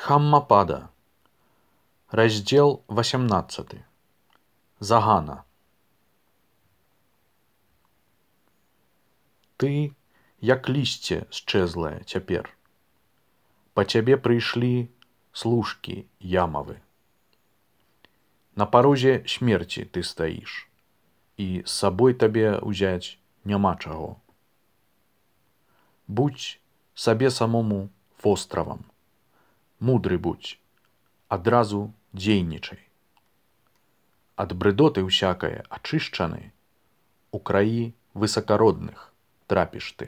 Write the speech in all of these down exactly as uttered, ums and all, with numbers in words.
Дхаммапада. Раздзел васямнаццаты. Загана. Ты, як лісце счэзлае цяпер. Па цябе прыйшлі служкі ямавы. На парозе смерці ты стаіш, і з сабой табе ўзяць няма чаго. Будзь сабе самому востравам, мудры будзь, адразу дзейнічай. Ад брыдоты ўсякае ачышчаны, у краі высакародных трапіш ты.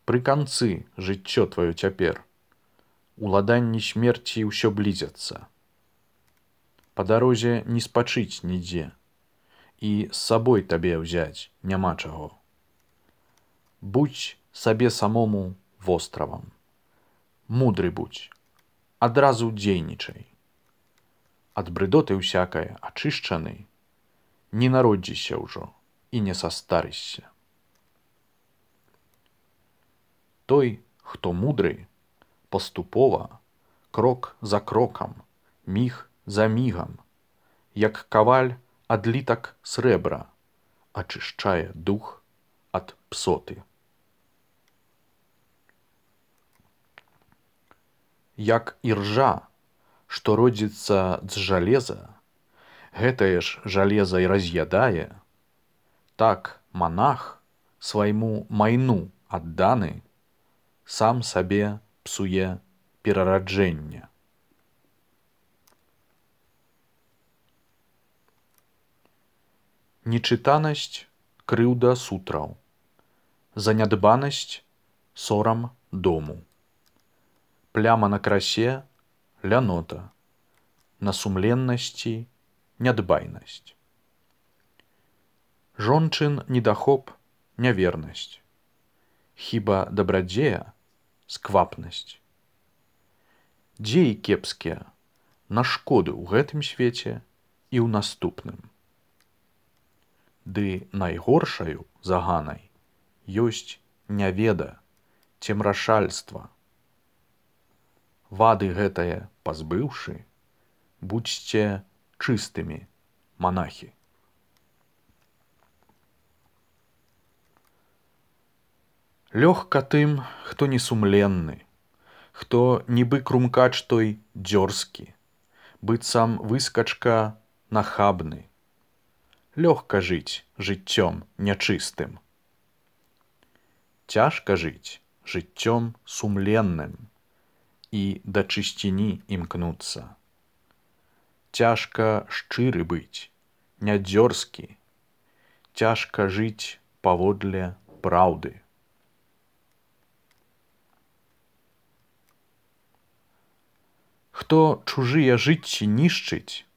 Пры канцы жыццё тваё цяпер, уладанні смерці ўсё блізяцца. Па дарозе не спачыць нідзе, і з сабой табе ўзяць няма чаго. Будзь сабе самому востравам, мудры будзь, адразу дзейнічай. Ад брыдоты ўсякае ачышчаны, не народзіся ўжо і не састарышся. Той, хто мудры, паступова, крок за крокам, міг за мігам, як каваль адлітак срэбра, ачышчае дух ад псоты. Як іржа, што родзіцца з жалеза, гэтае ж жалеза і раз'ядае, так манах свайму майну адданы сам сабе псуе перараджэнне. Нечытанасць крыўда сутраў, занядбанасць сорам дому. Пляма на красе лянота, на сумленнасці нядбайнасць. Жончын недахоп нявернасць, хіба дабрадзея сквапнасць. Дзеі кепскія на шкоду ў гэтым свеце і ў наступным. Ды найгоршаю заганай ёсць няведа, цемрашальства. Вады гэтае пазбыўшы, будзьце чыстымі, манахі. Лёгка тым, хто несумленны, хто нібы крумкач той дзёрзкі, быццам выскачка нахабны. Лёгка жыць жыццём нячыстым. Цяжка жыць жыццём сумленным і да чысціні імкнуцца. Цяжка шчыры быць, не дзёрзкі, цяжка жыць паводле праўды. Хто чужыя жыцці нішчыць,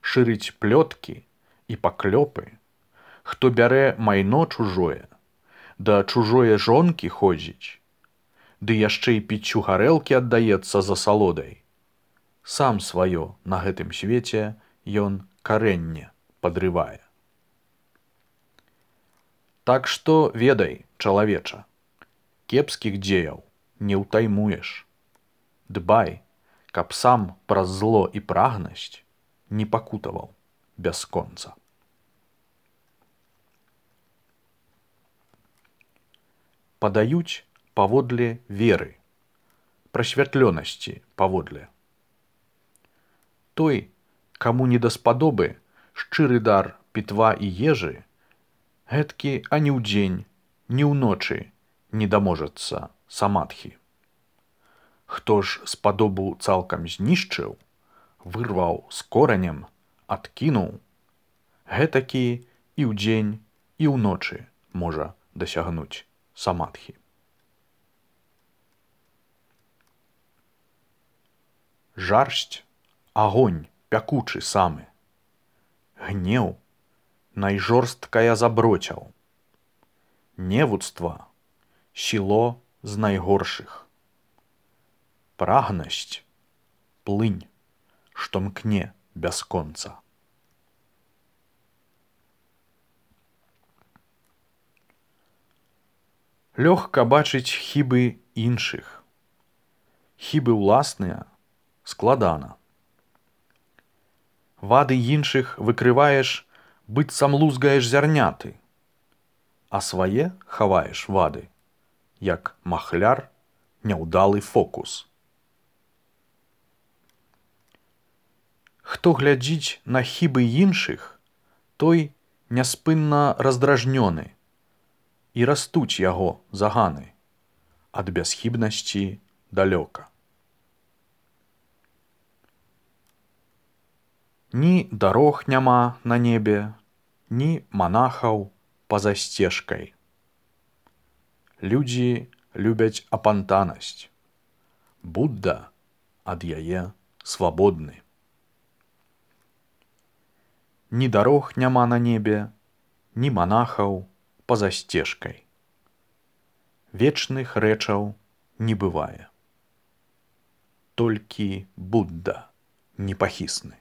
шырыць плёткі і паклёпы, хто бярэ майно чужое, да чужое жонкі ходзіць, ды яшчэ і піццю гарэлкі аддаецца за салодай, сам сваё на гэтым свеце ён карэнне падрывае. Так што ведай, чалавеча, кепскіх дзеяў не ўтаймуеш. Дбай, каб сам праз зло і прагнасць не пакутаваў бясконца. Падаюць паводле веры, прасвятлёнасці паводле. Той, каму не даспадобы шчыры дар пітва і ежы, гэткі ані ўдзень, ні ўночы не даможацца самадхі. Хто ж спадобу цалкам знішчыў, вырваў з коранем, адкінуў, гэтакі і ўдзень, і ўночы можа дасягнуць самадхі. Жарсць — агонь пякучы самы. Гнеў — найжорсткая заброцяў. Невуцтва — сіло з найгоршых. Прагнасць — плынь, што мкне бясконца. Лёгка бачыць хібы іншых. Хібы ўласныя складана. Вады іншых выкрываеш, быццам лузгаеш зярняты, а свае хаваеш вады, як махляр няўдалы фокус. Хто глядзіць на хібы іншых, той няспынна раздражнёны, і растуць яго заганы ад бясхібнасці далёка. Ні дарог няма на небе, ні манахаў па-за сцежкай. Людзі любяць апантанасць. Будда ад яе свабодны. Ні дарог няма на небе, ні манахаў па-за сцежкай. Вечных рэчаў не бывае. Толькі Будда непахісны.